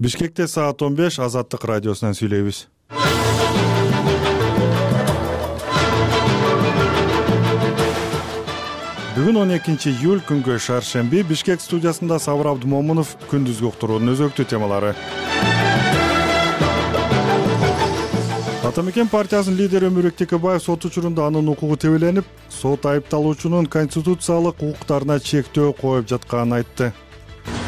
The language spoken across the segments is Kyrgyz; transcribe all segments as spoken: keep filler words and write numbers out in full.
Бишкекте саат он беш, Азаттык радиосунан сүйлөйбүз. Бүгүн он экинчи июль, күнгө шаршемби. Бишкек студиясында Сабыр Абдымомунов, күндүзгү уктуруунун өзөктүү темалары. Ата Мекен партиясынын лидери Өмүрбек Текебаев сот учурунда анын укугу тебеленип, сот айыпталуучунун конституциялык укуктарына чектөө коюп жатканын айтты.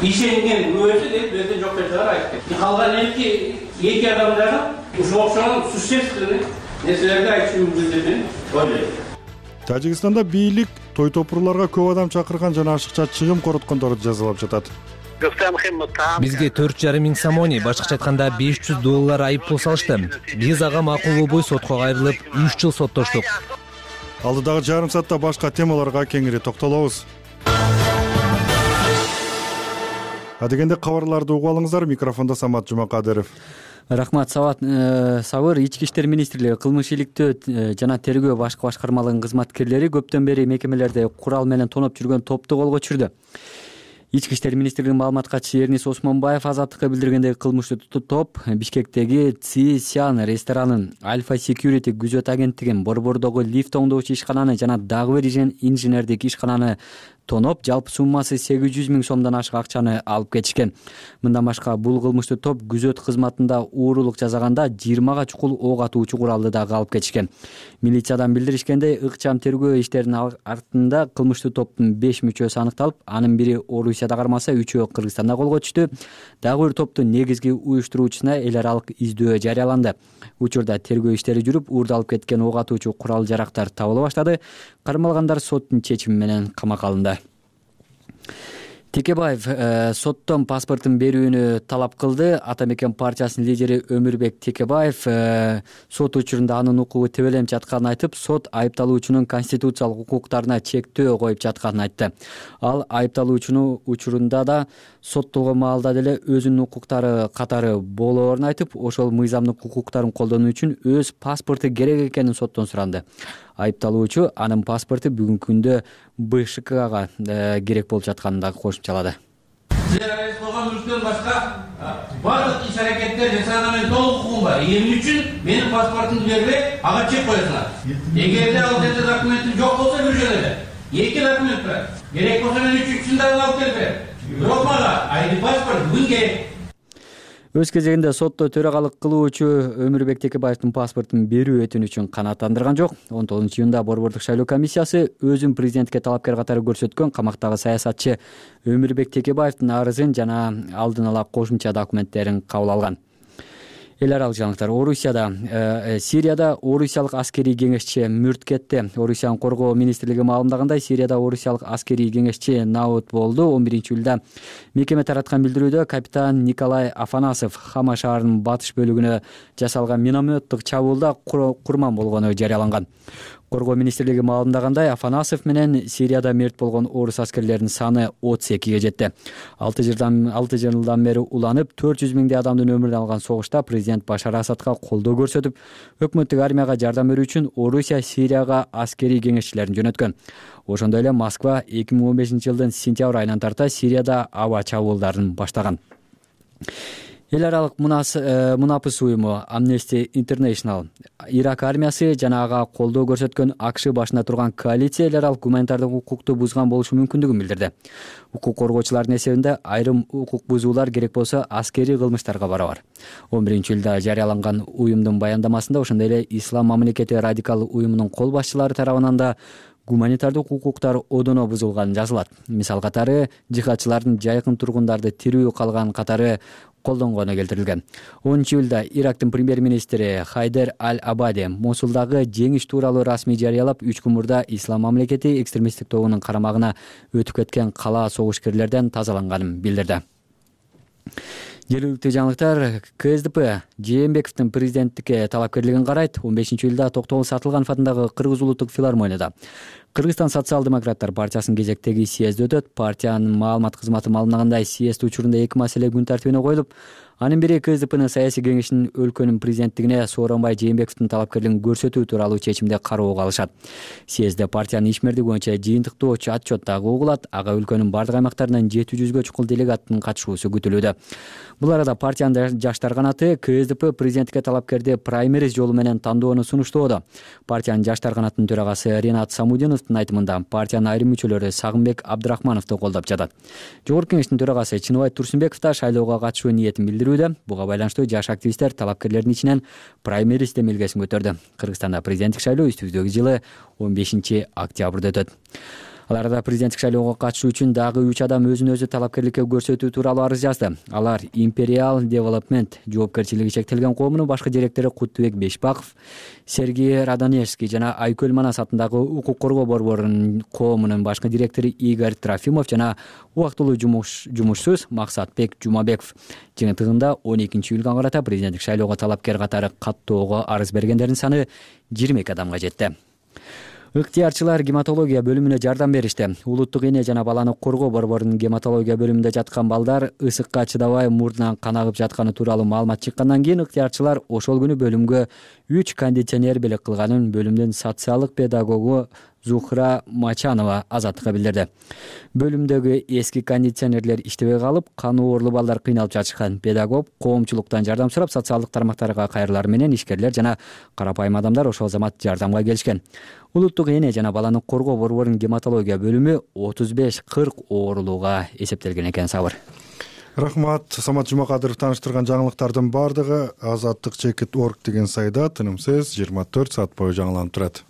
Ишенген өзү деп өзү жок нерселер айтты. Калган эки эки адам дагы ушул окшогон существенный нерселерди айтышын мүмкүн деп ойлойм. Тажикстанда бийлик той топурларга көп адам чакырган жана ашыкча чыгым короткондорду жазалап жатат. Бизге төрт жарым миң самони, башкача айтканда беш жүз доллар айыппул салышты. Биз ага макул болбой сотко кайрылып, үч жыл соттоштук. Алдыдагы жарым саатта башка темаларга кеңири токтолобуз. Адегенде кабарларды угуп алыңыздар. Микрофондо Самат Жумакадыров. Рахмат, Сабат. Сабыр Ички иштер министрлиги кылмыш иликтөө жана тергөө башкы башкармалыгынын кызматкерлери көптөн бери мекемелерде курал менен тоноп жүргөн топту колго түшүрдү. Ички иштер министрлигинин маалымат катчысы Эрнис Осмонбаев Азаттыкка билдиргендей, кылмыштуу топ Бишкектеги Ци Сян ресторанын, Альфа Security күзөт агенттигин, Борбордогу лифт оңдоочу ишкананы жана дагы бир инженердик ишкананы тоноп, жалпы суммасы сегиз жүз миң сомдон ашык акчаны алып кетишкен. Мындан башка бул кылмыштуу топ күзөт кызматында уурулук жасаганда жыйырмага чукул ок атуучу куралды дагы алып кетишкен. Милициядан билдиришкендей, ыкчам тергөө иштеринин артында кылмыштуу топтун беш мүчөсү аныкталып, анын бири Орусияда кармаса, үчөө Кыргызстанда колго түштү. Дагы бир топтун негизги уюштуруучусуна эл аралык издөө жарыяланды. Учурда тергөө иштери жүрүп, уурду алып кеткен ок атуучу курал жарактар табыла баштады. Кармалгандар соттун чечими менен камакка алынды. Текебаев э, соттон паспортун берүүнү талап кылды. Ата Мекен партиясынын лидери Өмүрбек Текебаев э, сот учурунда анын укугу тебеленип жатканын айтып, сот айыпталуучунун конституциялык укуктарына чектөө коюп жатканын айтты. Ал айыпталуучунун учурунда да соттолгон маалда деле өзүнүн укуктары катары болоорун айтып, ошол мыйзамдык укуктарын колдонуу үчүн өз паспорту керек экенин соттон суранды. Айыпталуучу анын паспорту бүгүнкү күндө Бэ Ш Кга э, керек болуп жатканын да кошумчалады. Силер арыз болгон мүлктөн башка бардык иш аракеттер жасаганга мен толук укугум бар. Эмне үчүн менин паспортумду бербей, ага чек коесуңар? Эгерде ал жерде документим жок болсо бир жөн эле. Эки документ бар. Керек болсо мен үчүнчүсүн дагы алып келип берем. Бирок мага айди паспорт бүгүн керек. Өз кезегинде сотто төрагалык кылуучу Өмүрбек Текебаевдин паспортун берүү өтүнүчүн канааттандырган жок. он тогузунчу июнда Борбордук шайлоо комиссиясы өзүн президентке талапкер катары көрсөткөн камактагы саясатчы Өмүрбек Текебаевдин арызын жана алдын ала кошумча документтерин кабыл алган. Эл аралык жаңылыктар. Орусияда, э, Сирияда орусиялык аскерий кеңешчи мүрт кетти. Орусиянын коргоо министрлиги маалымдагандай, Сирияда орусиялык аскерий кеңешчи наут болду. он биринчи июлда мекеме тараткан билдирүүдө капитан Николай Афанасов Хама шаарынын батыш бөлүгүнө жасалган минометтик чабуулда курман болгону жарыяланган. Коргоо министрлиги маалымдагандай, Афанасов менен Сирияда мерт болгон орус аскерлеринин саны отуз экиге жетти. алты жылдан алты жылдан бери уланып, төрт жүз миңдей адамдын өмүрүн алган согушта президент Башар Асадка колдоо көрсөтүп, өкмөттүк армияга жардам берүү үчүн Орусия Сирияга аскерий кеңешчилерин жөнөткөн. Ошондой эле Москва эки миң он бешинчи жылдын сентябрь айынан тарта Сирияда аба чабуулдарын баштаган. Эл аралык мунапыс уюму Amnesty International, Ирак армиясы жана ага колдоо көрсөткөн АКШ башында турган коалиция эл аралык гуманитардык укукту бузган болушу мүмкүндүгүн билдирди. Укук коргоочулардын эсебинде айрым укук бузуулар керек болсо аскерий кылмыштарга барабар. он биринчи июлда жарыяланган уюмдун баяндамасында ошондой эле Ислам мамлекети радикал уюмунун кол башчылары тарабынан да гуманитардык укуктар одоно бузулганы жазылат. Мисал катары, жихадчылардын жайкын тургундарды тирүү калган катары колдонгону келтирилген. онунчу июлда Ирактын премьер-министри Хайдер Аль-Абади Мосулдагы жеңиш тууралуу расмий жарыялап, үч күн мурда Ислам мамлекети экстремисттик тобунун карамагына өтүп кеткен кала согушкерлерден тазаланганын билдирди. Жергиликтүү жаңылыктар. К С Д П Жээнбековдун президенттикке талапкерлигин карайт. он бешинчи июлда Токтогул Сатылганов атындагы Кыргыз улуттук филармонияда Кыргызстан социал-демократтар партиясынын кезектеги съезди өтөт. Партиянын маалымат кызматы маалымдагандай, съезд учурунда эки маселе күн тартибине коюлуп, анын бири КСДПнын саясий кеңешинин өлкөнүн президенттигине Сооронбай Жээнбековдун талапкерлигин көрсөтүү тууралуу чечимде кароого алышат. Съездде партиянын ишмердиги боюнча жыйынтыктоочу отчет дагы угулат. Ага өлкөнүн бардык аймактарынан жети жүзгө чукул делегаттын катышуусу күтүлүүдө. Бул арада партиянын жаштар канаты КСДП президенттикке талапкерди праймериз жолу менен тандоону сунуштоодо. Партиянын жаштар канатынын төрагасы Ринат Самудиновдун айтымында, партиянын айрым мүчөлөрү Сагынбек Абдрахмановду колдоп жатат. Жогорку кеңештин төрагасы Чыныбай Турсунбеков да шайлоого катышуу ниетин билдирүүдө. Буга байланыштуу жаш активисттер талапкерлердин ичинен праймериз демилгесин көтөрдү. Кыргызстанда президенттик шайлоо үстүбүздөгү жылы он бешинчи октябрда өтөт. Ал арада президенттик шайлоого катышуу үчүн дагы үч адам өзүн өзү талапкерликке көрсөтүү тууралуу арыз жазды. Алар Imperial Development жоопкерчилиги чектелген коомунун башкы директору Куттубек Бешбаков, Сергей Радонежский жана Айкөл Манас атындагы укук коргоо борборунун коомунун башкы директору Игорь Трофимов жана убактылуу жумуш жумушсуз Максатбек Жумабеков. Жыйынтыгында он экинчи июлга карата президенттик шайлоого талапкер катары каттоого арыз бергендердин саны жыйырма эки адамга жетти. Ыктыярчылар гематология бөлүмүнө жардам беришти. Улуттук эне жана баланы коргоо борборунун гематология бөлүмүндө жаткан балдар ысыкка чыдабай мурдунан кан агып жатканы тууралуу маалымат чыккандан кийин ыктыярчылар ошол күнү бөлүмгө үч кондиционер белек кылганын бөлүмдүн социалдык педагогу Зухра Мачанова азаттыкка билдирди. Бөлүмдөгү эски кондиционерлер иштебей калып, каны оорлуу балдар кыйналып жатышкан. Педагог коомчулуктан жардам сурап, социалдык тармактарга кайрылар менен ишкерлер жана карапайым адамдар ошол замат жардамга келишкен. Улуттук эне жана баланы коргоо борборунун гематология бөлүмү отуз беш кырк оорулууга эсептелген экен. Сабыр. Рахмат. Самат Жумакадыров тааныштырган жаңылыктардын баардыгы азаттык чекит точка орг деген сайда тынымсыз жыйырма төрт саат бою жаңыланып турат.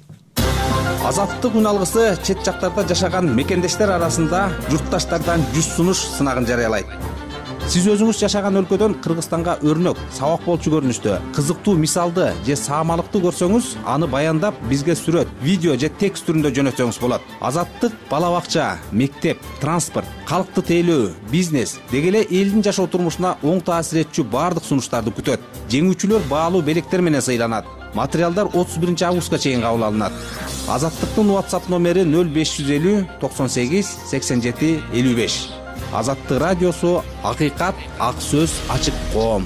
Азаттык үн алгысы чет жактарда жашаган мекендештер арасында журтташтардан жүз сунуш сынагын жарыялайт. Сиз өзүңүз жашаган өлкөдөн Кыргызстанга өрнөк, сабак болчу көрүнүштө, кызыктуу мисалды же саамалыкты көрсөңүз, аны баяндап бизге сүрөт, видео же текст түрүндө жөнөтсөңүз болот. Азаттык бала бакча, мектеп, транспорт, калкты тейлөө, бизнес деги эле элдин жашоо турмушуна оң таасир этчү баардык сунуштарды күтөт. Жеңүүчүлөр баалуу белектер менен сыйланат. Материалдар отуз биринчи августка чейин кабыл алынат. Азаттыктын WhatsApp номери нөл беш жүз элүү токсон сегиз сексен жети элүү беш. Азаттык радиосу, акыйкат, ак сөз, ачык коом.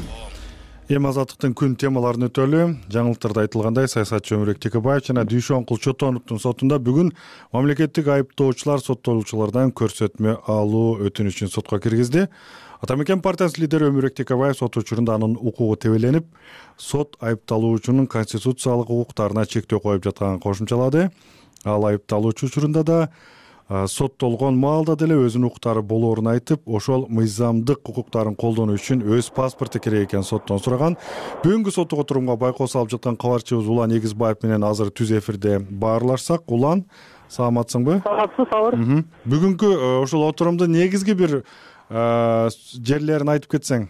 Эми азаттыктын күн темаларын өтөлү. Жаңылыктарда айтылгандай, саясатчы Өмүрбек Текебаев жана Дүйшөнкул Чотоновдун сотунда бүгүн мамлекеттик айыптоочулар соттолуучулардан көрсөтмө алуу өтүнүчүн сотко киргизди. Атамекен партиясынын лидери Өмүрбек Текебаев сот учурунда анын укугу тебеленип, сот айыпталуучунун конституциялык укуктарына чектөө коюп жатканын кошумчалады. Ал айыпталуучу учурунда да соттолгон маалда деле өзүнүн укуктары болоорун айтып, ошол мыйзамдык укуктарын колдонуу үчүн өз паспорту керек экенин соттон сураган. Бүгүнкү соттук отурумга байкоо салып жаткан кабарчыбыз Улан Эгизбаев менен азыр түз эфирде баарлашсак. Улан, саламатсыңбы? Саламатсыз, Сабыр. Бүгүнкү ошол отурумдун негизги бир жерлерин айтып кетсең.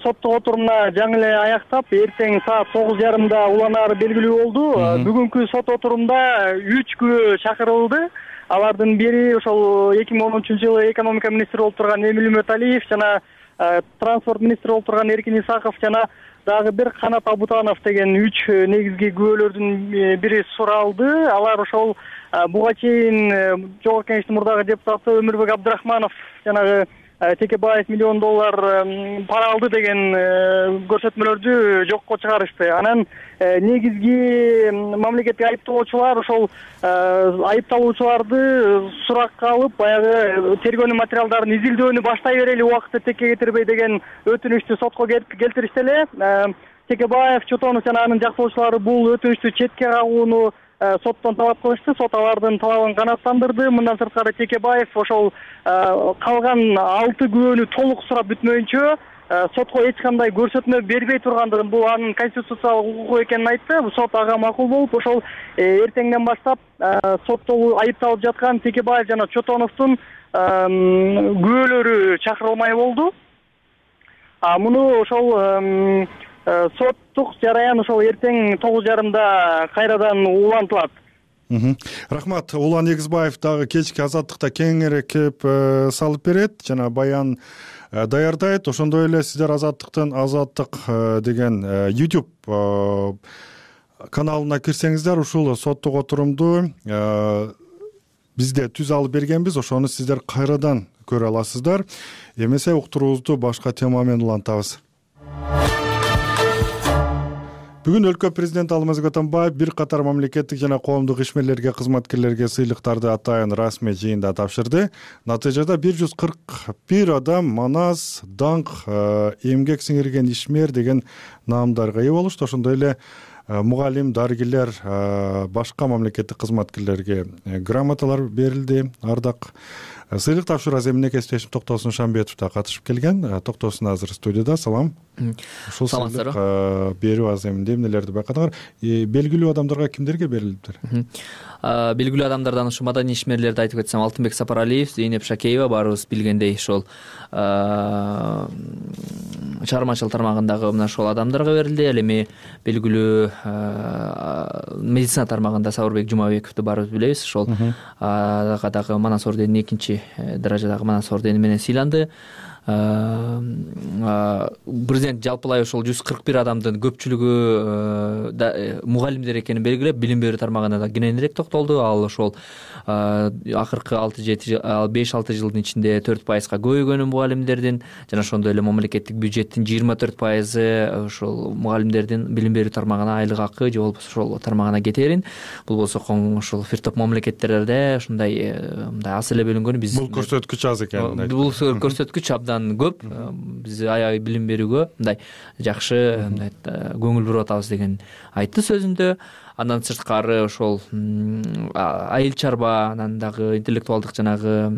Соттук отурумна жаңы эле аяктап, эртең саат тогуз жарымда уланары белгилүү болду. Бүгүнкү сот отурумда үч күбө чакырылды. Алардын бири ошол эки миң он үчүнчү жылы экономика министри болуп турган Эмил Үмөталиев жана транспорт министри болуп турган Эркин Исаков жана дагы бир Канат Абутанов деген үч негизги күбөлөрдүн бири суралды. Алар ошол буга чейин Жогорку Кеңештин мурдагы депутаты Өмүрбек Абдрахманов жанагы Текебаев миллион доллар пара алды деген көрсөтмөлөрдү жокко чыгарышты. Анан негизги мамлекеттик айыптоочулар ошол айыпталуучуларды суракка алып, баягы тергөөнүн материалдарын изилдөөнү баштай берели, убакытты текке кетирбей деген өтүнүчтү сотко келтиришти эле. Текебаев, Чотонов жана анын жактоочулары бул өтүнүчтү четке кагууну соттон талап кылышты. Сот алардын талабын канааттандырды. Мындан сырткары Текебаев ошол калган алты күбөнү толук сурап бүтмөйүнчө сотко эч кандай көрсөтмө бербей тургандыгын, бул анын конституциялык укугу экенин айтты. Сот ага макул болуп, ошол эртеңден баштап сотто айыпталып жаткан Текебаев жана Чотоновдун күбөлөрү чакырылмай болду. А муну ошол соттук жараян ошол эртең тогуз жарымда кайрадан улантылат. Рахмат. Улан Эгизбаев дагы кечки азаттыкта кеңирээк кеп салып берет жана баян даярдайт. Ошондой эле сиздер азаттыктын азаттык деген YouTube каналына кирсеңиздер ушул соттук отурумду бизде түз алып бергенбиз, ошону сиздер кайрадан көрө аласыздар. Эмесе уктуруубузду башка тема менен улантабыз. Бүгүн өлкө президенти Алмазбек Атамбаев бир катар мамлекеттик жана коомдук ишмерлерге, кызматкерлерге сыйлыктарды атайын расмий жыйында тапшырды. Натыйжада бир жүз кырк бир адам манас, даңк, эмгек сиңирген ишмер деген наамдарга ээ болушту. Ошондой эле мугалим, дарыгерлер, башка мамлекеттик кызматкерлерге грамоталар берилди. Ардак сыйлык тапшыруу аземине кесиптешим Токтосун Шамбетов да катышып келген. Токтосун азыр студияда. Салам. Ушул сыйлык берүү аземинде эмнелерди байкадыңар? Белгилүү адамдарга кимдерге берилиптир? Белгилүү адамдардан ушу маданий ишмерлерди айтып кетсем, Алтынбек Сапаралиев, Зейнеп Шакеева, баарыбыз билгендей ошол чыгармачылык тармагындагы мына ошол адамдарга берилди. Ал эми белгилүү медицина тармагында Сабырбек Жумабековду баарыбыз билебиз. Ошол дагы Манас орденин экинчи даражадагы Манас ордени менен сыйланды. Президент жалпылай ошол жүз кырк бир адамдын көпчүлүгү мугалимдер экенин белгилеп, билим берүү тармагына да кененирээк токтолду. Ал ошол акыркы алты жети беш алты жылдын ичинде төрт пайызга көбөйгөнүн мугалимдердин жана ошондой эле мамлекеттик бюджеттин жыйырма төрт пайызы ошол мугалимдердин билим берүү тармагына айлык акы же болбосо ошол тармагына кетерин. Бул болсо ошол бир топ мамлекеттерде ушундай мындай аз эле бөлүнгөнү. Биз бул көрсөткүч аз экен. Бул көрсөткүч абдан көп. Биз аябай билим берүүгө мындай жакшы мындай көңүл буруп атабыз деген айтты сөзүндө. Андан сырткары ошол айыл чарба, анан дагы интеллектуалдык жанагы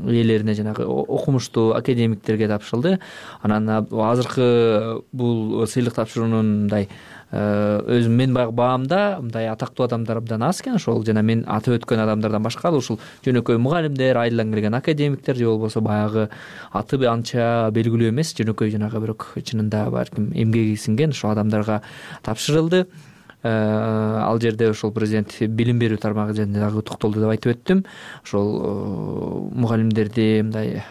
ээлерине, жанагы окумуштуу академиктерге тапшырылды. Анан азыркы бул сыйлык тапшыруунун мындай өзүм мен баамда мындай атактуу адамдар абдан аз экен. Ошол жана мен атып өткөн адамдардан башка ушул жөнөкөй мугалимдер, айылдан келген академиктер же болбосо баягы аты анча белгилүү эмес, жөнөкөй жанагы бирок чынында балким эмгеги сиңген ошол адамдарга тапшырылды. Ал жерде ошол президент билим берүү тармагы жөнүндө дагы токтолду деп айтып өттүм. Ошол мугалимдерди мындай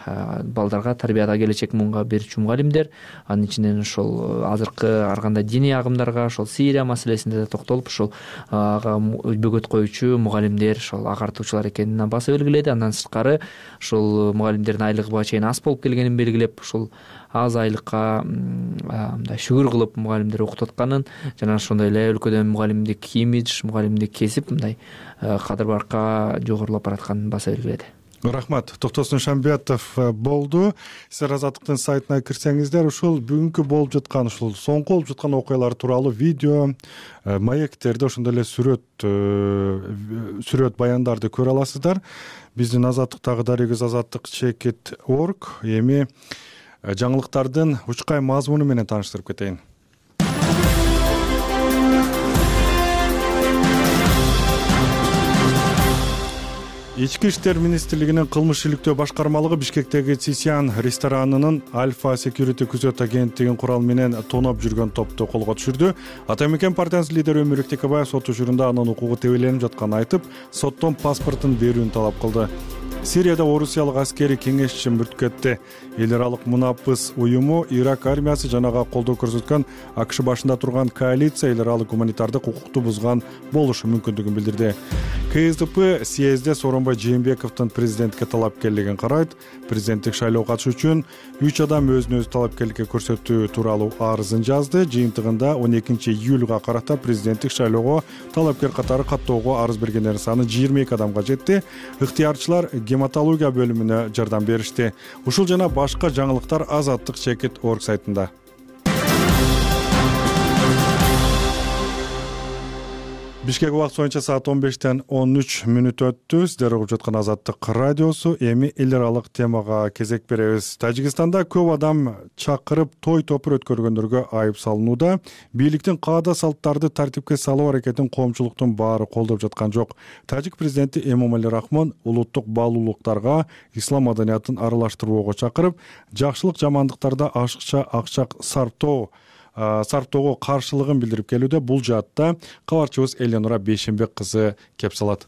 балдарга тарбияда келечек муунга берүүчү мугалимдер, анын ичинен ошол азыркы ар кандай диний агымдарга, ошол Сирия маселесинде да токтолуп, ошол ага бөгөт коюучу мугалимдер, ошол агартуучулар экенин баса белгиледи. Андан сырткары ошол мугалимдердин айлыгы буга чейин аз болуп келгенин белгилеп, ошол аз айлыкка мындай шүгүр кылып мугалимдер окутуп атканын жана ошондой эле өлкөдө мугалимдик имидж, мугалимдик кесип мындай кадыр баракка жогорулап баратканын баса белгиледи. Рахмат. Токтосун Шамбетов болду. Сиздер Азаттыктын сайтына кирсеңиздер, ушул бүгүнкү болуп жаткан, ушул соңку болуп жаткан окуялар тууралуу видео, маектерди, ошондой эле сүрөт сүрөт баяндарды көрө аласыздар. Биздин Азаттыктагы дарегиз азаттык чекит точка орг. Эми жаңылыктардын учкай мазмуну менен тааныштырып кетейин. Ички иштер министрлигинин кылмыш иликтөө башкармалыгы Бишкектеги Цисян ресторанынын Альфа Security күзөт агенттигин курал менен тоноп жүргөн топту колго түшүрдү. Ата Мекен партиясынын лидери Өмүрбек Текебаев сот учурунда анын укугу тебеленип жатканын айтып, соттон паспортун берүүнү талап кылды. Сирияда орусиялык аскери кеңешчи мүрт кетти. Эл аралык мунапыс уюму Ирак армиясы жанага колдоо көрсөткөн АКШ башында турган коалиция эл аралык гуманитардык укукту бузган болушу мүмкүндүгүн билдирди. КСДП съезде Сооронбай Жээнбековдун президентке талапкерлигин карайт. Президенттик шайлоого катышуу үчүн үч адам өзүн өзү талапкерликке көрсөтүү тууралуу арызын жазды. Жыйынтыгында он экинчи июлга карата президенттик шайлоого талапкер катары каттоого арыз бергендердин саны жыйырма эки адамга жетти. Ыктыярчылар гематология бөлүмүнө жардам беришти. Ушул жана башка жаңылыктар азаттык чекит точка орг сайтында. Бишкек убакыт боюнча саат он бештен он үч мүнөт өттү. Сиздер угуп жаткан Азаттык радиосу. Эми эл аралык темага кезек беребиз. Тажикстанда көп адам чакырып той топур өткөргөндөргө айып салынууда. Бийликтин каада салттарды тартипке салуу аракетин коомчулуктун баары колдоп жаткан жок. Тажик президенти Эмомали Рахмон улуттук баалуулуктарга ислам маданиятын аралаштырууга чакырып, жакшылык жамандыктарда ашыкча акча сарптоо сарптоого каршылыгын билдирип келүүдө. Бул жаатта кабарчыбыз Эленора Бейшенбек кызы кеп салат.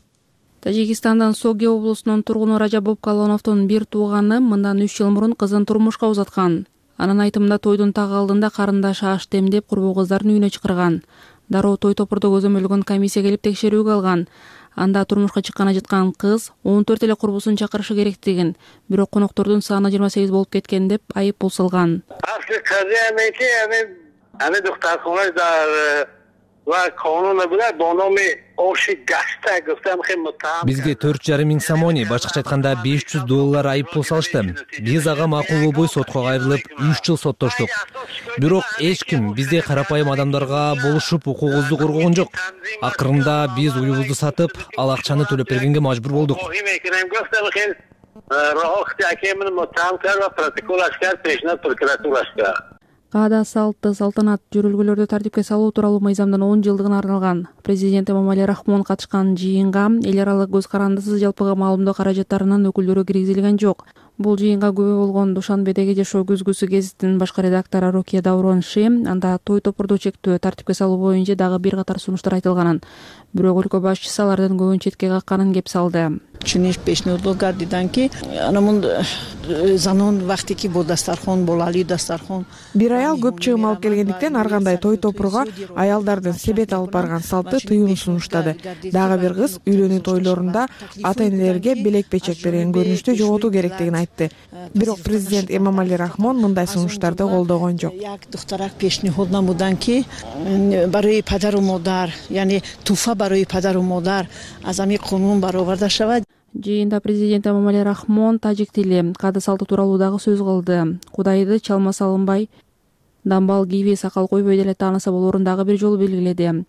Тажикстандын Соге облусунун тургуну Ражабов Калоновдун бир тууганы мындан үч жыл мурун кызын турмушка узаткан. Анын айтымында тойдун так алдында карындашы аш демдеп курбу кыздардын үйүнө чакырган. Дароо той топурду көзөмөлгөн комиссия келип текшерүүгө алган. Анда турмушка чыкканы жаткан кыз он төрт эле курбусун чакырышы керектигин, бирок коноктордун саны жыйырма сегиз болуп кеткен деп айып бул салган. Бизге төрт жарым миң сомони, башкача айтканда беш жүз доллар айып пул салышты. Биз ага макул болбой сотко кайрылып үч жыл соттоштук. Бирок эч ким биздей карапайым адамдарга болушуп укугубузду коргогон жок. Акырында биз уюбузду сатып, ал акчаны төлөп бергенге мажбур болдук. Каада салты салтанат жүрүлгөлөрдү тартипке салуу тууралуу мыйзамдын он жылдыгына арналган. Президент Эмомали Рахмон катышкан жыйынга эл аралык көз карандысыз жалпыга маалымдоо каражаттарынын өкүлдөрү киргизилген жок. Бул жыйынга күбө болгон Душанбедеги жашоо күзгүсү гезитинин башкы редактору Рокия Даурон-Ши анда той топурду чектөө, тартипке салуу боюнча дагы бир катар сунуштар айтылганын, бирок өлкө башчысы алардын көбүн четке какканын кеп салды. Бир аял көп чыгым алып келгендиктен ар кандай той топурга аялдардын себет алып барган салты тыюун сунуштады. Дагы бир кыз үйлөнүү тойлорунда ата-энелерге белек-печек берген көрүнүштү жоготуу керектигин айтты. Бирок президент Эмомали Рахмон мындай сунуштарды колдогон жок. Жыйында президент Эмомали Рахмон тажик тили, каада салты тууралуу дагы сөз кылды. Кудайды чалма салынбай, дамбал кийбей, сакал койбой деле тааныса болоорун дагы бир жолу белгиледи.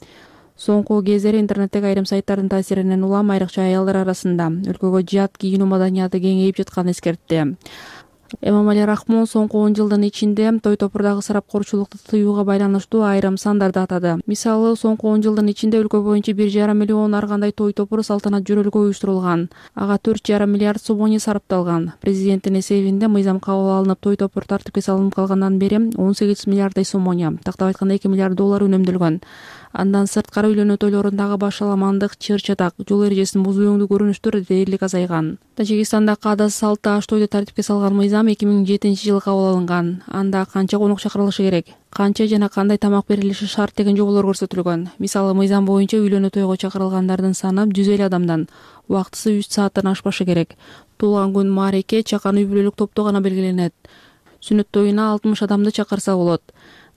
Соңку кездери интернеттеги айрым сайттардын таасиринен улам айрыкча аялдар арасында өлкөгө жат кийинүү маданияты кеңейип жатканын эскертти. Эмомали Рахмон соңку он жылдын ичинде той топурдагы ысырапкорчулукту тыюуга байланыштуу айрым сандарды атады. Мисалы, соңку он жылдын ичинде өлкө боюнча бир жарым миллион ар кандай той топуру салтанат жөрөлгө уюштурулган. Ага төрт жарым миллиард сомони сарпталган. Президенттин эсебинде мыйзам кабыл алынып, той топур тартипке салынып калгандан бери он сегиз миллиарддай сомони, тактап айтканда эки миллиард доллар үнөмдөлгөн. Андан сырткары үйлөнүү тойлорундагы башаламандык, чыр-чатак, жол эрежесин бузуу өңдүү көрүнүштөр дээрлик азайган. Тажикстанда каада салты аш тойду тартипке салган мыйзам эки миң жетинчи жылы кабыл алынган. Анда канча конок чакырылышы керек, канча жана кандай тамак берилиши шарт деген жоболор көрсөтүлгөн. Мисалы, мыйзам боюнча үйлөнүү тойго чакырылгандардын саны жүз элүү адамдан, убактысы үч сааттан ашпашы керек. Туулган күн, маареке, чакан үй бүлөлүк топто гана белгиленет. Сүнөт тоюна алтымыш адамды чакырса болот.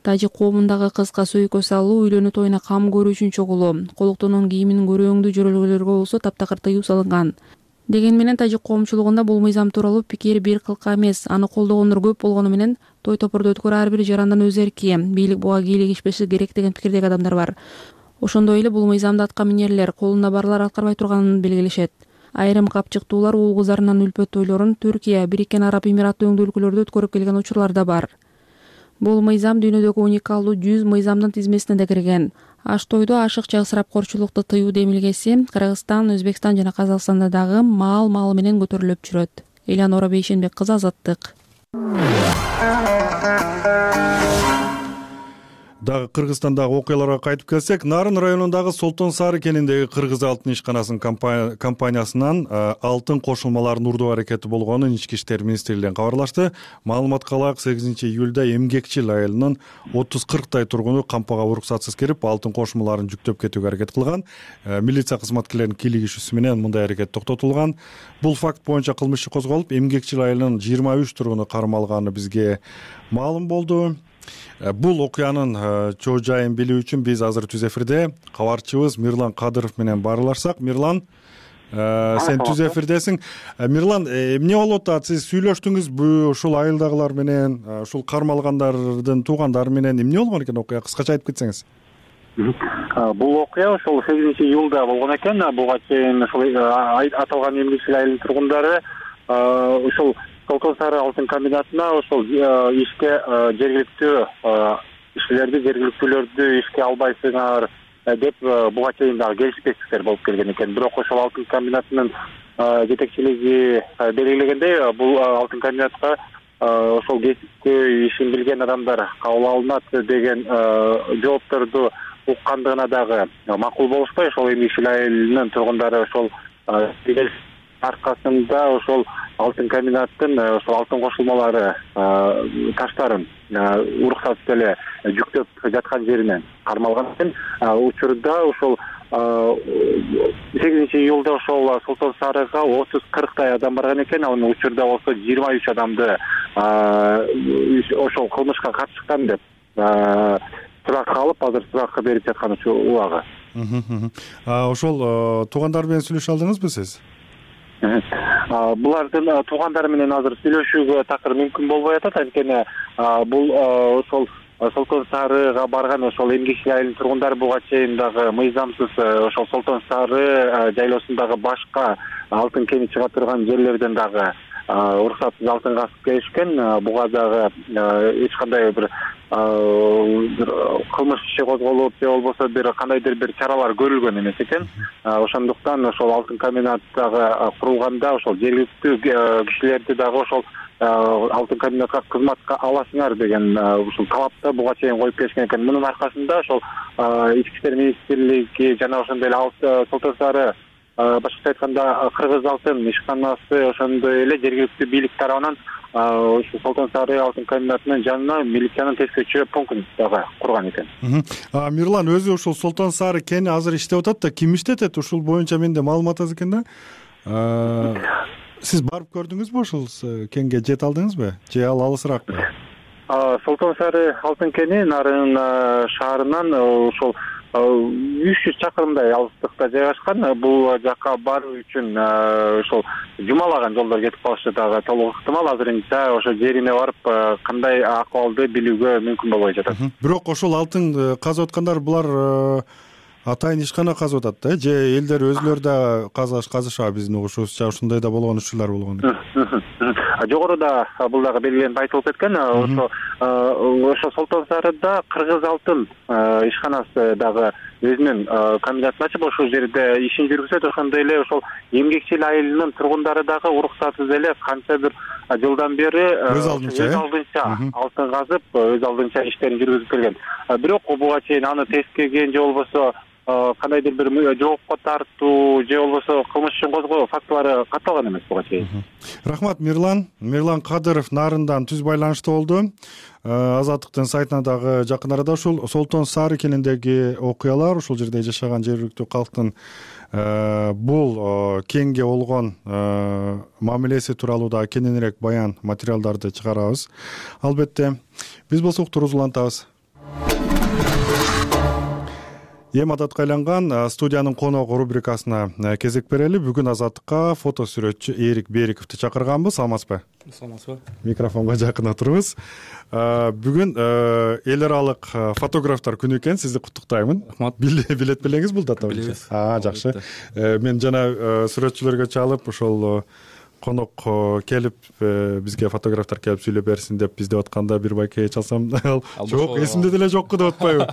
Тажик коомундагы кызга сөйкө салуу, үйлөнүү тоюна кам көрүү үчүн чогулуу, колуктонун кийимин көрөөңдүү жөрөлгөлөргө болсо таптакыр тыюу салынган. Деген менен тажик коомчулугунда бул мыйзам тууралуу пикир бир кылка эмес, аны колдогондор көп болгону менен той топурду өткөрүү ар бир жарандан өз эрки, бийлик буга кийлигишпеши керек деген пикирдеги адамдар бар. Ошондой эле бул мыйзамды атка минерлер, колунда барлар аткарбай турганын белгилешет. Айрым капчыктуулар уул кыздарынын үлпөт тойлорун Түркия, Бириккен Араб Эмираты өңдүү өлкөлөрдө өткөрүп келген учурлар да бар. Бул мыйзам дүйнөдөгү уникалдуу жүз мыйзамдын тизмесине да кирген. Аш тойду ашыкча ысырапкорчулукту тыюу демилгеси Кыргызстан, Өзбекстан жана Казакстанда дагы маал маалы менен көтөрүлүп жүрөт. Элянора Бейшенбек кызы, Азаттык. Дагы Кыргызстандагы окуяларга кайтып келсек, Нарын районундагы Солтон Сары кениндеги Кыргыз алтын ишканасынын компаниясынан алтын кошулмаларынын урдуу аракети болгонун Ички иштер министрлигинен кабарлашты. Маалыматка ылайык, сегизинчи июлда эмгекчил айылынын отуз кырктай тургуну кампага уруксатсыз кирип, алтын кошулмаларын жүктөп кетүүгө аракет кылган. Милиция кызматкерлеринин кийлигишүүсү менен мындай аракет токтотулган. Бул факт боюнча кылмыш иши козголуп, эмгекчил айылынын жыйырма үч тургуну кармалганы бизге маалым болду. Бул окуянын чоо жайын билүү үчүн биз азыр түз эфирде кабарчыбыз Мирлан Кадыров менен баарлашсак. Мирлан, сен түз эфирдесиң. Мирлан, эмне болуп атат? Сиз сүйлөштүңүзбү ушул айылдагылар менен, ушул кармалгандардын туугандары менен эмне болгон экен окуя? Кыскача айтып кетсеңиз. Бул окуя ошол сегизинчи июлда болгон экен. Буга чейин ушул аталган эмгекчил айылдын тургундары ушул Солтон Сары алтын комбинатына ошол ишке жергиликтүү ишчилерди, жергиликтүүлөрдү ишке албайсыңар деп буга чейин дагы келишпестиктер болуп келген экен. Бирок ошол алтын комбинатынын жетекчилиги белгилегендей, бул алтын комбинатка ошол кесипти ишин билген адамдар кабыл алынат деген жоопторду уккандыгына дагы макул болушпай, ошол эмгекчил айылынын тургундары ошол аркасында ошол алтын комбинаттын ошол алтын кошулмалары таштарын уруксатсыз эле жүктөп жаткан жеринен кармалган экен. Учурда ошол сегизинчи июлда ошол Солтон Сарыга отуз кырктай адам барган экен. Анын учурда болсо жыйырма үч адамды ошол кылмышка катышкан деп суракка алып, азыр суракка берип жаткан убагы. Ошол туугандар менен сүйлөшө алдыңызбы сиз? Булардын туугандары менен азыр сүйлөшүүгө такыр мүмкүн болбой атат. Анткени бул ошол Солтон Сарыга барган ошол эмгекчил айылдын тургундары буга чейин дагы мыйзамсыз ошол Солтон Сары жайлоосундагы башка алтын кени чыга турган жерлерден дагы уруксатсыз алтын казып келишкен. Буга дагы эч кандай бир кылмыш иши козголуп же болбосо бир кандайдыр бир чаралар көрүлгөн эмес экен. Ошондуктан ошол алтын комбинат дагы курулганда ошол жергиликтүү кишилерди дагы ошол алтын комбинатка кызматка аласыңар деген ушул талапты буга чейин коюп келишкен экен. Мунун аркасында ошол Ички иштер министрлиги жана ошондой эле Солтон Сары, башкача айтканда Кыргыз алтын ишканасы, ошондой эле жергиликтүү бийлик тарабынан ушул Солтон Сары алтын комбинатынын жанына милициянын тескөчү пунктун дагы курган экен. Мирлан өзү ушул Солтон Сары кени азыр иштеп атат да, ким иштетет? Ушул боюнча менде маалымат аз экен да. Сиз барып көрдүңүзбү ушул кенге, жете алдыңызбы же ал алысыраакпы? Солтон Сары алтын кени Нарын шаарынан ошол үч жүз чакырымдай алыстыкта жайгашкан. Бул жака баруу үчүн ошол жумалаган жолдор кетип калышы дагы толук ыктымал. Азырынча ошо жерине барып кандай акыбалды билүүгө мүмкүн болбой жатат. Бирок ошол алтын казып аткандар булар атайын ишкана казып атат да, же элдер өзүлөрү да казаш казышабы биздин угушубузча ушундай да болгон учурлар болгон. Жогоруда бул дагы белгиленип айтылып кеткен. Ошо ошо Солтон Сарыда Кыргыз алтын ишканасы дагы өзүнүн комбинатын ачып ошол жерде ишин жүргүзөт. Ошондой эле ошол эмгекчил айылынын тургундары дагы уруксатсыз эле канча бир жылдан бери өз алдынча алтын казып, өз алдынча иштерин жүргүзүп келген. Бирок буга чейин аны тескеген же болбосо кандайдыр бир жоопко тартуу же болбосо кылмыш ишин козгоо фактылары катталган эмес буга чейин. Рахмат Мирлан. Мирлан Кадыров Нарындан түз байланышта болду. Азаттыктын сайтына дагы жакын арада ушул Солтон Сары кениндеги окуялар, ушул жерде жашаган жергиликтүү калктын бул кенге болгон мамилеси тууралуу да кененирээк баян материалдарды чыгарабыз. Албетте биз болсо уктурубузду улантабыз. Эми адатка айланган студиянын коногу рубрикасына кезек берели. Бүгүн Азаттыкка фото сүрөтчү Эрик Бериковду чакырганбыз. Саламатсызбы? Саламатсызбы. Микрофонго жакын отуруңуз. Бүгүн эл аралык фотографтар күнү экен. Сизди куттуктаймын. Рахмат. Билет белеңиз бул дата боюнча? Билебиз. А, жакшы. Мен жана сүрөтчүлөргө чалып, ошол конок келип бизге фотографтар келип сүйлөп берсин деп биз деп атканда бир байке чалсам, жок, эсимде деле жокку деп атпайбы?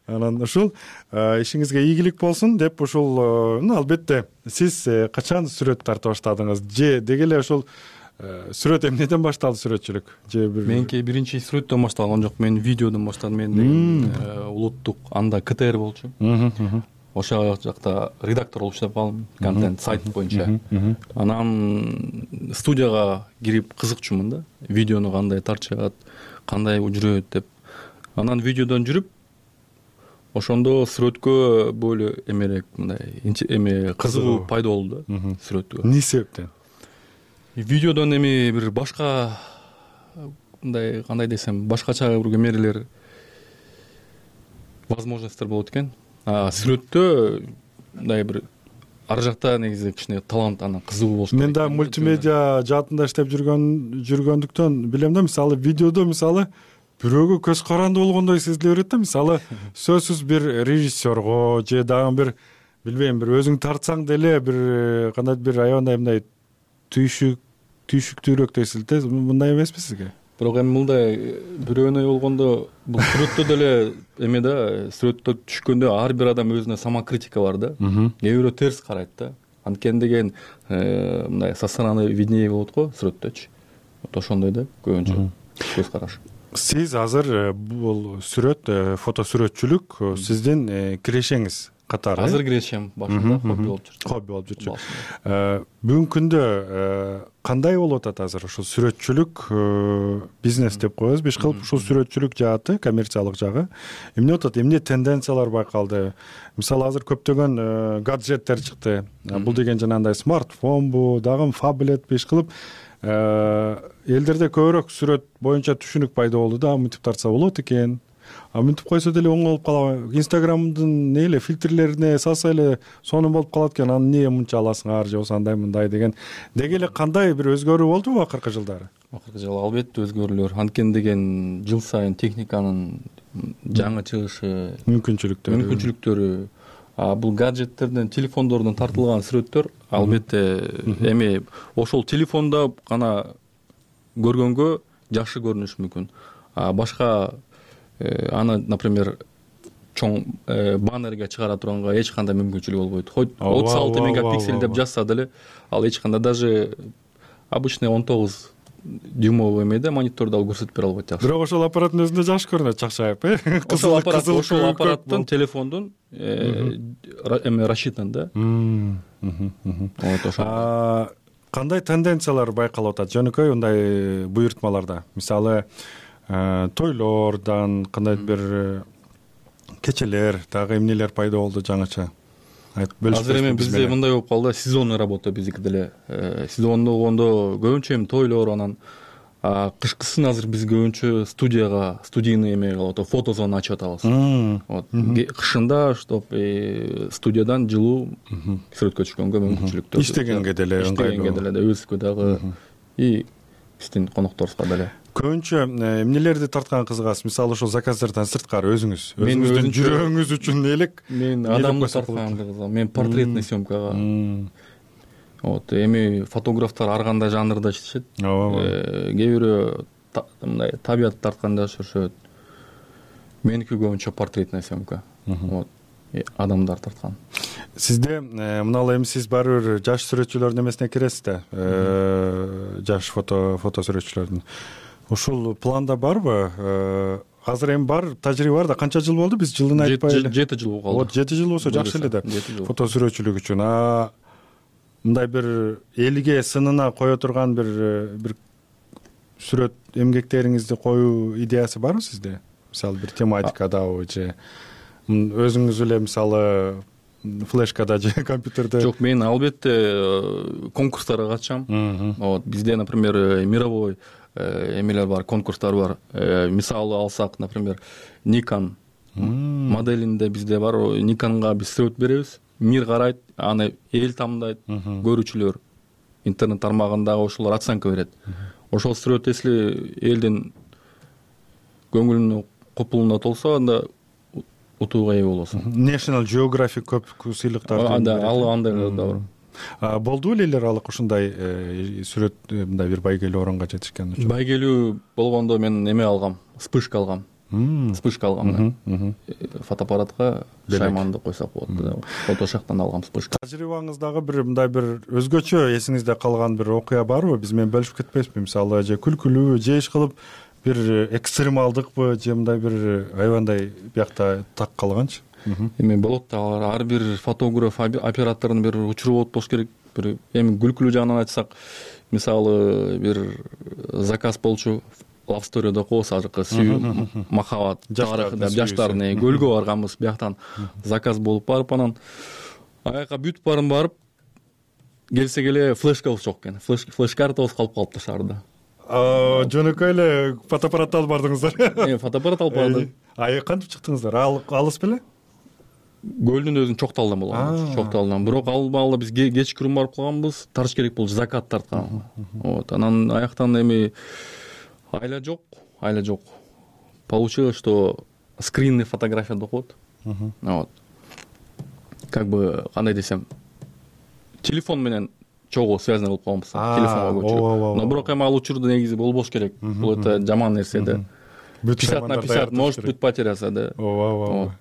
Анан ушул ишиңизге ийгилик болсун деп ушул, албетте сиз качан сүрөт тарта баштадыңыз? Же деги эле ошол сүрөт эмнеден башталды, сүрөтчүлүк? Же бир меники биринчи сүрөттөн башталган жок, мен видеодон баштадым. Мен улуттук анда КТР болчу. Ошол жакта редактор болуп иштеп калдым, контент сайт боюнча. Анан студияга кирип кызыкчумун да, видеону кандай тартышат, кандай жүрөт деп. Анан видеодон жүрүп ошондо сүрөткө боло эмерээк мындай эме кызыгуу пайда болду да сүрөткө. Эмне себептен? Видеодон эми бир башка мындай кандай десем, башкача бир кемерелер возможностьтер болот экен. А сүрөттө мындай бир ар жакта негизи кичине талант, анан кызыгуу болуш керек. Мен да мультимедиа жаатында иштеп жүргөн жүргөндүктөн билем да, мисалы видеодо мисалы бирөөгө көз каранды болгондой сезиле берет да. Мисалы сөзсүз бир режиссерго же дагы бир билбейм, бир өзүң тартсаң деле бир кандайдыр бир аябандай мындай түйшүк түйшүктүүрөөк сезилет. Мындай эмеспи сизге? Бирок эми мындай бирөөнө болгондо бул сүрөттө деле эме да, сүрөттө түшкөндө ар бир адам өзүнө самокритика бар да. Кээ бирөө терс карайт да. Анткени деген мындай со стороны виднее болот го сүрөттөчү. Ошондой да көбүнчө көз караш. Сиз азыр бул сүрөт, фото сүрөтчүлүк сиздин кирешеңиз. катары азыр киришем, башында хобби болуп жүрчү. Хобби болуп жүрчү. Бүгүнкү күндө кандай болуп атат азыр ушул сүрөтчүлүк бизнес деп коебузбу, иш кылып ушул сүрөтчүлүк жааты, коммерциялык жагы эмне атат, эмне тенденциялар байкалды? Мисалы азыр көптөгөн гаджеттер чыкты. Бул деген жанагындай смартфонбу, дагы фаблетпи, иш кылып элдерде көбүрөөк сүрөт боюнча түшүнүк пайда болду да, мынтип тартса болот экен. А мынтип койсо деле оң болуп калат. Инстаграмдын не эле фильтрлерине салса эле сонун болуп калат экен. Аны эмне мынча аласыңар же болбосо андай мындай деген. Деги эле кандай бир өзгөрүү болдубу акыркы жылдары? Акыркы жылы албетте өзгөрүүлөр. Анткени деген жыл сайын техниканын жаңы чыгышы, мүмкүнчүлүктөрү, мүмкүнчүлүктөрү, а бул гаджеттерден, телефондордон тартылган сүрөттөр албетте эми ошол телефондо гана көргөнгө жакшы көрүнүшү мүмкүн. А башка аны, например, чоң баннерге чыгара турганга эч кандай мүмкүнчүлүк болбойт. Хоть отуз алты мегапиксель деп жазса деле, ал эч кандай, даже обычный он тогуз дюймовый эмеде монитордо ал көрсөтүп бере албайт жакшы. Бирок ошол аппараттын өзүндө жакшы көрүнөт, чакчайып, э? Ошол аппарат, ошол аппараттын телефондун эме рассчитан да. Вот ошо. Кандай тенденциялар байкалып атат жөнөкөй мындай буйртмаларда? Мисалы, тойлордон кандайдыр бир кечелер, дагы эмнелер пайда болду жаңыча? Азыр эми бизде мындай болуп калды, сезонный работа биздики деле. Сезонду болгондо көбүнчө эми тойлор, анан кышкысын азыр биз көбүнчө студияга, студийный эме кылып атабыз, фотозона ачып атабыз. Вот кышында чтоб студиядан жылуу сүрөткө түшкөнгө мүмкүнчүлүктөр. Иштегенге деле, иштегенге деле, өзүбүзгө дагы и биздин конокторубузга деле. Көбүнчө эмнелерди тарткан кызыгасыз? Мисалы ошол заказдардан сырткары өзүңүз, өзүңүздүн жүрөгүңүз үчүн элек мен адамды тарткан кызыгам. Мен портретный съемкага. Вот эми фотографтар ар кандай жанрда иштешет. Кээ бирөө мындай табият тартканда жүрүшөт. Меники көбүнчө портретный съемка. Вот адамдар тарткан. Сизде мыналы эми сиз баары бир жаш сүрөтчүлөрдүн эмесине киресиз да, жаш фото фото сүрөтчүлөрдүн. Ушул планда барбы? Азыр эми бар тажрыйба бар да, канча жыл болду? Биз жылын айтпай эле. жети жыл болду. Вот жети жыл болсо жакшы эле да. Фото сүрөтчүлүк үчүн. А мындай бир элге сынына кое турган бир бир сүрөт эмгектериңизди коюу идеясы барбы сизде? Мисалы бир тематикадабы же өзүңүз эле мисалы флешкада же компьютерде? Жок, мен албетте конкурстарга катышам. Вот бизде, например, мировой эмелер бар, конкурстар бар. Мисалы алсак, например, Nikon моделинде бизде бар. Nikonга биз сүрөт беребиз. Мир карайт, аны эл таандайт, көрүүчүлөр интернет тармагындагы ошолор оценка берет. Ошол сүрөт если элдин көңүлүнө, купулуна толсо, анда утууга ээ болосуң. National Geographic көп сыйлыктар. Анда ал андай да бар. Болду эле аралык ушундай сүрөт мындай бир байгелүү оронго жетишкен үчүн? Байгелүү болгондо мен эме алгам, вспышка алгам. Вспышка алгам. Фотоаппаратка шайманды койсок болот. Фотошактан алгам вспышка. Тажрыйбаңыздагы бир мындай бир өзгөчө эсиңизде калган бир окуя барбы? Биз менен бөлүшүп кетпейсизби? Мисалы, же күлкүлүү, же иш кылып бир экстремалдыкпы, же мындай бир аябандай биякта так калганчы? Эми болот да, ар бир фотограф, оператордун бир учуру болот болуш керек. Бир эми күлкүлүү жагынан айтсак, мисалы бир заказ болчу, Love Story'да коебуз, азыркы сүйүү, махабат, тарых деп жаштардын көлгө барганбыз, бияктан заказ болуп барып, анан аяка бүтүп барын барып келсек эле флешкабыз жок экен. Флеш-картабыз калып калыптыр шаарда. Жөнөкөй эле фотоаппаратты алып бардыңыздар. Э, фотоаппарат алып бардым. А кантип чыктыңыздар? Алыс беле? Көлдүн өзүн Чокталдан болгон. Чокталдан. Бирок ал маалда биз кечкирим барып калганбыз, тарыш керек болчу, закат тарткан. Вот, анан аяктан эми айла жок, айла жок. Получилось, что скринный фотография деп коет. Вот. Как бы кандай десем, телефон менен чогуу связано болуп калганбыз. Телефонго көчүрүп. Но бирок эми ал учурда негизи болбош керек. Бул это жаман нерсе да. пятьдесят на пятьдесят может быть потеряться, да. Ооба, ооба.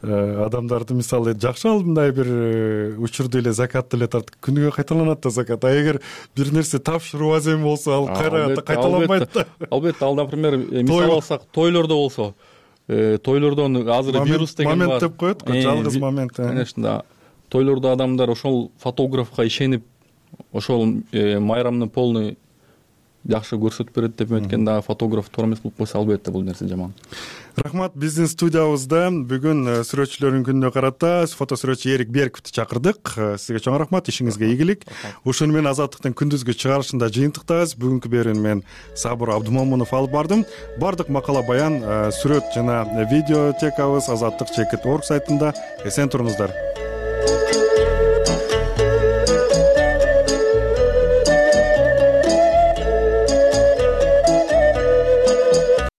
Адамдарды мисалы жакшы ал мындай бир учурду эле закатты эле тартып күнүгө кайталанат да закат. А эгер бир нерсе тапшыруу азем болсо, ал кайра кайталанбайт да. Албетте, ал, например, мисал алсак, тойлордо болсо, тойлордон азыр вирус деген бар. Момент деп коет го, жалгыз момент. Конечно, да. Тойлордо адамдар ошол фотографка ишенип, ошол майрамны полный жакшы көрсөтүп берет деп эметкен, дагы фотограф туура эмес болуп койсо албетте бул нерсе жаман. Рахмат. Биздин студиябызда бүгүн сүрөтчүлөрдүн күнүнө карата фото сүрөтчү Эрик Берковду чакырдык. Сизге чоң рахмат, ишиңизге ийгилик. Ушуну менен Азаттыктын күндүзгү чыгарылышында жыйынтыктайбыз. Бүгүнкү берүүнү мен Сабыр Абдумомунов алып бардым. Бардык макала баян, сүрөт жана видеотекабыз азаттык чекит орг сайтында. Эсен туруңуздар.